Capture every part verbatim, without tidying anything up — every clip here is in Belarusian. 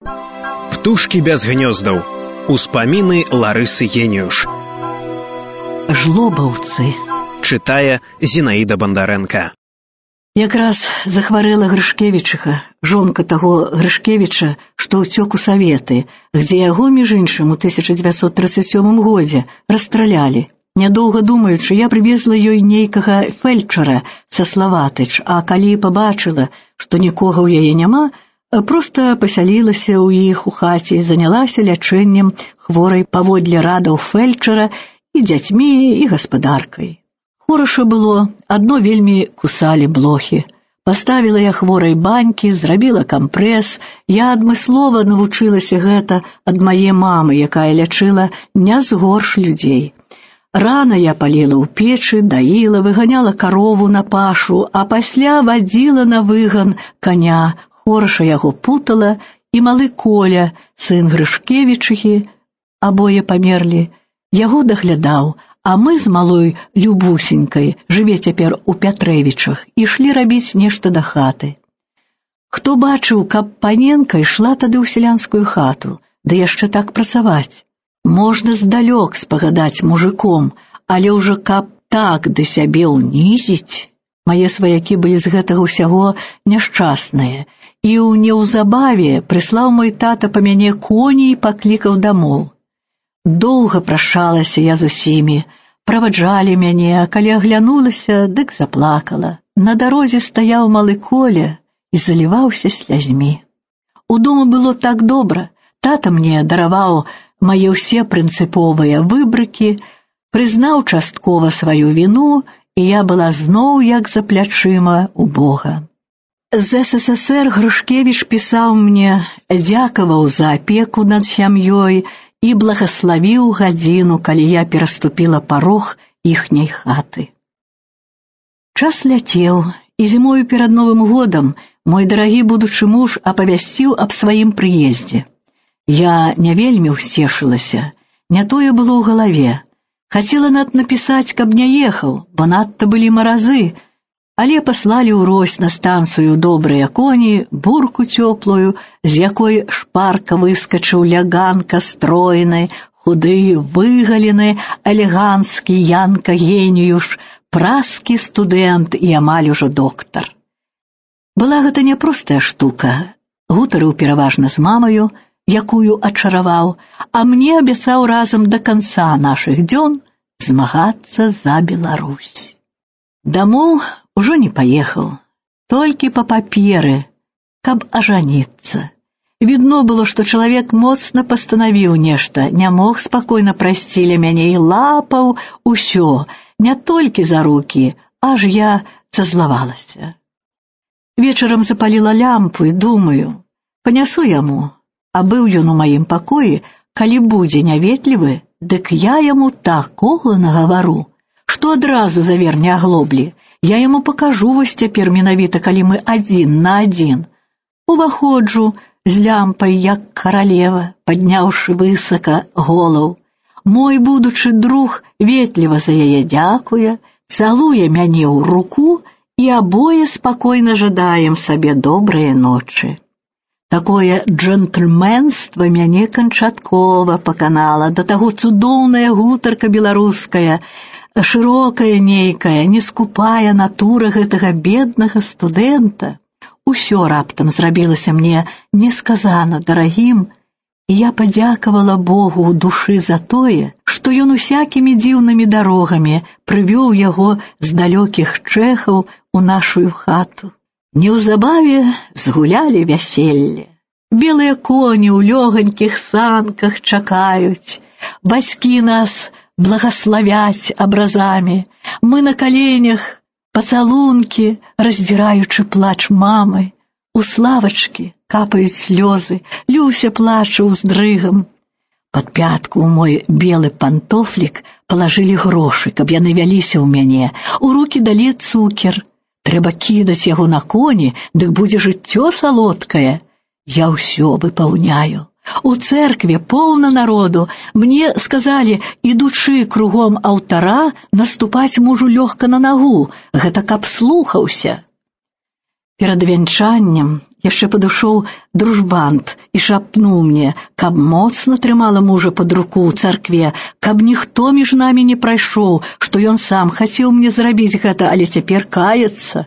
Птушкі без гнёздаў. Успаміны Ларысы Геніюш. Жлобаўцы. Чытае Зінаіда Бандарэнка. Якраз захварэла Грышкевічыха, жонка таго Грышкевіча, што ўцёк у Саветы, дзе яго, між іншым, у тысяча дзевяцьсот трыццаць сёмым годзе расстралялі. Нядоўга думаючы, я прывезла ёй нейкага фельчара са Славатыч, а калі пабачыла, што нікога ў яе няма, проста пасялілася ў іх у хаце і занялася лячэннем хворай паводле радаў фельчара і дзяцьмі, і гаспадаркай. Хораша было, адно вельмі кусалі блохі. Паставіла я хворай банькі, зрабіла кампрэс. Я адмыслова навучылася гэта ад мае мамы, якая лячыла не з горш людзей. Рана я паліла ў печы, даіла, выганяла карову на пашу, а пасля вадзіла на выган каня. Хораша яго путала, і малы Коля, сын Грышкевічыхі, абое памерлі, яго даглядаў, а мы з малой Любусенькай, жыве цяпер у Пятрэвічах, ішлі рабіць нешта да хаты. Хто бачыў, каб паненка ішла тады ў сялянскую хату, ды яшчэ так працаваць? Можна здалёк спагадаць мужиком, але ўжо каб так да сябе ўнізіць. Мае сваякі былі з гэтага ўсяго няшчасныя, і ў неўзабаве прыслаў мой тата па мяне коні і паклікаў дамоў. Доўга прашалася я з усімі, праваджалі мяне, а калі аглянулася, дык заплакала. На дарозе стаяў малы Коля і заліваўся слязьмі. Удома было так добра, тата мне дараваў мае ўсе прынцыповыя выбрыкі, прызнаў часткова сваю віну, і я была зноў як за плячыма у Бога. З СССР Грышкевіч пісаў мне, дзякаваў за апеку над сям'ёй і благаславіў гадзіну, калі я пераступіла парог іхняй хаты. Час ляцеў, і зімою перад Новым годам мой дарагі будучы муж апавясціў аб сваім прыездзе. Я не вельмі ўсцешылася, не тое было ў галаве. Хацела над напісаць, каб не ехаў, бо надта былі маразы, але паслалі ўрось на станцыю добрыя коні, бурку цёплую, з якой шпарка выскачыў ляганка стройны, худы, выгалены, элеганскі Янка Геніюш, празкі студэнт і амаль ужо доктар. Была гэта няпростая штука. Гутарыў пераважна з мамаю, якую ачараваў, а мне абяцаў разам да канца нашых дзён змагацца за Беларусь. Дамоў ужо не паехаў, толькі па паперы, каб ажаніцца. Відно было, што чалавек моцна пастанавіў нешта, не мог спакойна прайсці ля мяне і лапаў усё, не толькі за рукі, аж я зазлавалася. Вечарам запаліла лямпу і думаю, панясу яму, а быў ён у маім пакоі, калі будзе няветлівы, дык я яму такога нагавару, што адразу заверне аглоблі. Я яму пакажу вось цяпер менавіта, калі мы адзін на адзін. Уваходжу з лямпай, як каралева, падняўшы высока голаў. Мой будучы друг ветліва за яе дзякуе, цалуе мяне ў руку, і абое спакойна жадаем сабе добрыя ночы. Такое джентльменства мяне канчаткова паканала, да таго цудоўная гутарка беларуская, шырокая нейкая, нескупая натура гэтага беднага студэнта. Усё раптам зрабілася мне несказана дарагім, і я падзякавала Богу ў душы за тое, што ён усякімі дзіўнымі дарогамі прывёў яго з далёкіх чэхаў у нашу хату. Неўзабаве згулялі вяселле. Белыя коні ў лёганькіх санках чакаюць, бацькі нас благословять образами. Мы на коленях, поцелунки, раздираючи плач мамы. У Славочки капают слезы, Люся плача уздрыгом. Под пятку ў мой белы пантофлік положили грошы, каб яны вяліся ў мяне. У руки далі цукер. Трэба кідаць яго на коні, дык будзе жыццё салодкае. Я ўсё выпаўняю. У церкве поўна народу. Мне сказалі, ідучы кругом алтара, наступаць мужу лёгка на нагу. Гэта каб слухаўся. Перад вянчаннем Яшчэ падышоў дружбант і шапнуў мне, каб моцна трымала мужа пад руку ў царкве, каб ніхто між намі не прайшоў, што ён сам хацеў мне зрабіць гэта, але цяпер каецца.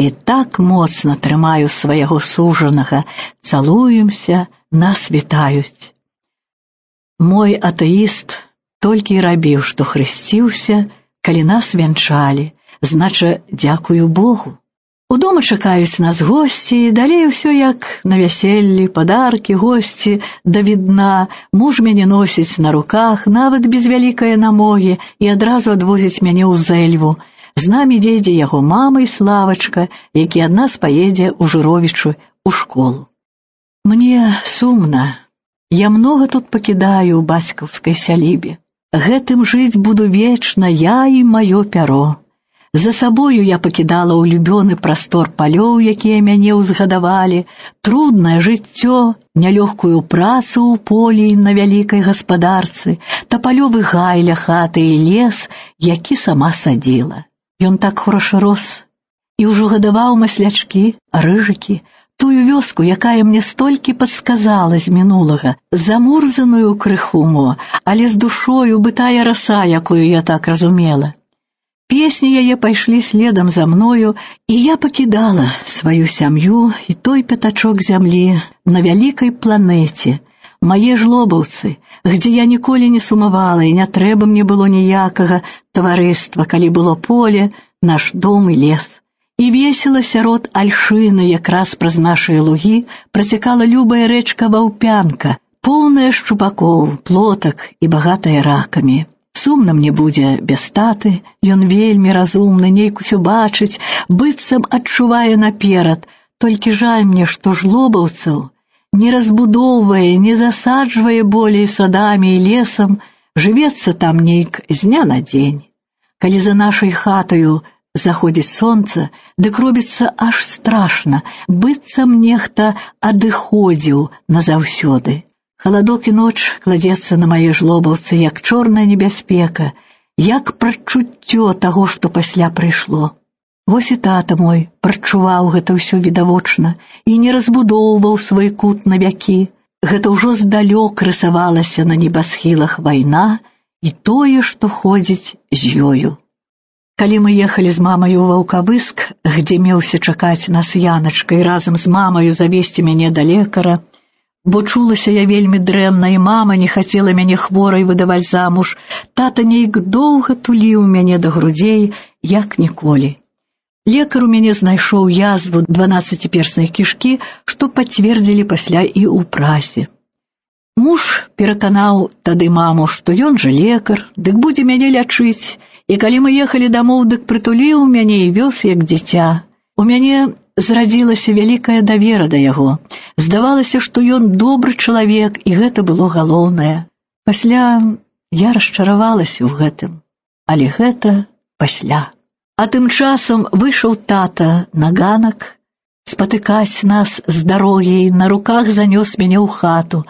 І так моцна трымаю свайго сужанага, цалуемся, нас вітаюць. Мой атэіст толькі і рабіў, што хрысціўся, калі нас вянчалі, знача, дзякую Богу. Удома чакаюць нас госці, далей усё як на вяселлі, падаркі, госці да відна. Муж мяне носіць на руках, нават без вялікае намогі, і адразу адвозіць мяне ў Зэльву. З намі едзе яго мама і Славачка, які ад нас паедзе ў Жыровічу ў школу. Мне сумна. Я многа тут пакідаю ў бацькаўскай сялібе. Гэтым жыць буду вечна я і маё пяро. За сабою я пакідала улюбёны прастор палёў, якія мяне ўзгадавалі, труднае жыццё, нялёгкую працу ў полі на вялікай гаспадарцы, тапалёвы гай ля хаты і лес, які сама садзіла. Ён так хораша рос і ўжо гадаваў маслячкі, рыжыкі, тую вёску, якая мне столькі падсказала з мінулага, замурзаную крыху мо, але з душою бытая раса, якую я так разумела. Песні яе пайшлі следам за мною, і я пакідала сваю сям'ю і той пятачок зямлі на вялікай планеце, мае жлобаўцы, где я ніколі не сумавала, і не трэба мне было ніякага таварыства, калі было поле, наш дом і лес. І весела сярод альшыны, якраз праз нашыя лугі, працякала любая рэчка Ваўпянка, поўная шчупакоў, плотак і багатая ракамі. Сумна мне будзе без таты, ён вельмі разумны, нейк усё бачыць, быццам адчувае наперад, толькі жаль мне, што жлобаўцаў не разбудоўвае, не засаджвае болей садамі і лесам, жывецца там нейк з дня на дзень. Калі за нашай хатаю заходзіць сонца, дык робіцца аж страшна, быццам нехта адыходзіў назаўсёды. Халадок і ноч кладзецца на мае жлобаўцы, як чорная небяспека, як прадчуццё таго, што пасля прыйшло. Вось і тата мой прадчуваў гэта ўсё відавочна і не разбудоўваў свой кут на вякі. Гэта ўжо здалёк рысавалася на небасхілах вайна і тое, што ходзіць з ёю. Калі мы ехалі з мамаю ў Ваўкавыск, где меўся чакаць нас Яначка і разам з мамаю завесці мяне да лекара, бо чулася я вельмі дрэнна, і мама не хацела мяне хворай выдаваць замуж, тата нейк доўга туліў мяне да грудзей, як ніколі. Лекар у мяне знайшоў язву дванаццаціперснай кішкі, што пацвердзілі пасля і ў прасе. Муж пераканаў тады маму, што ён жа лекар, дык будзе мяне лячыць, і калі мы ехалі дамоў, дык прытуліў мяне і вёз як дзіця. У мяне зрадзілася вялікая давера да яго. Здавалася, што ён добры чалавек, і гэта было галоўнае. Пасля я расчаравалася ў гэтым, але гэта пасля. А тым часам выйшаў тата на ганак, спатыкаць нас з дарогі, на руках занёс мяне ў хату,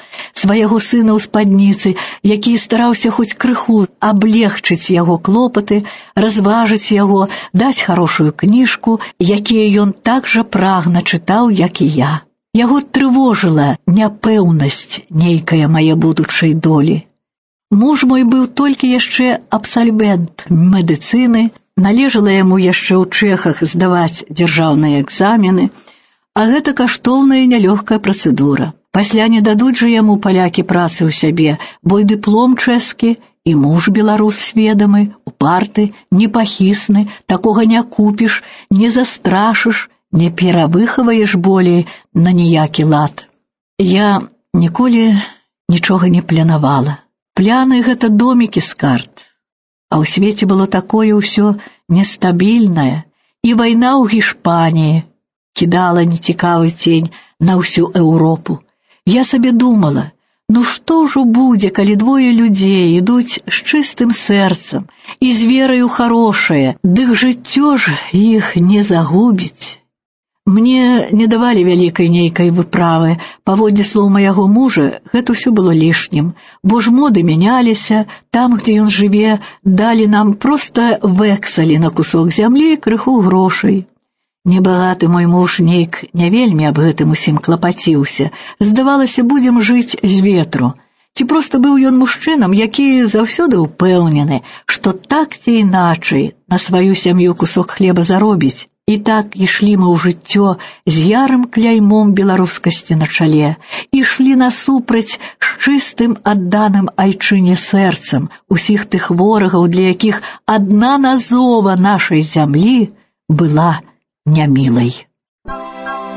свайго сына ў спадніцы, які стараўся хоць крыху аблегчыць яго клопаты, разважыць яго, даць хорошую кніжку, якія ён так жа прагна чытаў, як і я. Яго трывожыла няпэўнасць нейкая мае будучай долі. Муж мой быў толькі яшчэ абсальвент медыцыны, належала яму яшчэ ў Чэхах здаваць дзяржаўныя экзамены, а гэта каштоўная і нялёгкая працэдура. Пасля не дадуць жа яму палякі працы ў сябе, бо і дыплом чэшскі, і муж беларус сведамы, упарты, непахісны, такога не купіш, не застрашыш, не перавыхаваеш болей на ніякі лад. Я ніколі нічога не планавала. Пляны — гэта домікі з карт. А ў свеце было такое ўсё нестабільнае, і вайна ў Гішпаніі кідала нецікавы цень на ўсю Еўропу. Я сабе думала, ну што ўжо будзе, калі двое людзей ідуць з чыстым сэрцам і з вераю харошае, дык жыццё ж іх не загубіць. Мне не давалі вялікай нейкай выправы. Паводле слоў майго мужа, гэта ўсё было лішнім, бо ж моды мяняліся, там, дзе ён жыве, далі нам проста вэксалі на кусок зямлі, крыху грошай. Небагаты мой муж нейк не вельмі аб гэтым усім клапаціўся. Здавалася, будзем жыць з ветру. Ці проста быў ён мужчынам, які заўсёды ўпэўнены, што так ці іначай на сваю сям'ю кусок хлеба заробіць. І так ішлі мы ў жыццё з ярым кляймом беларускасці на чале, ішлі насупраць з чыстым адданым айчыне сэрцам усіх тых ворагаў, для якіх адна назова нашай зямлі была нямілай.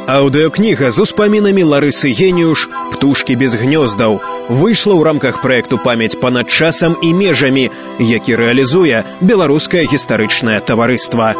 Аўдыёкніга з успамінамі Ларысы Геніюш «Птушкі без гнёздаў» выйшла ў рамках праекту «Памяць панад часам і межамі», які рэалізуе Беларускае гістарычнае таварыства.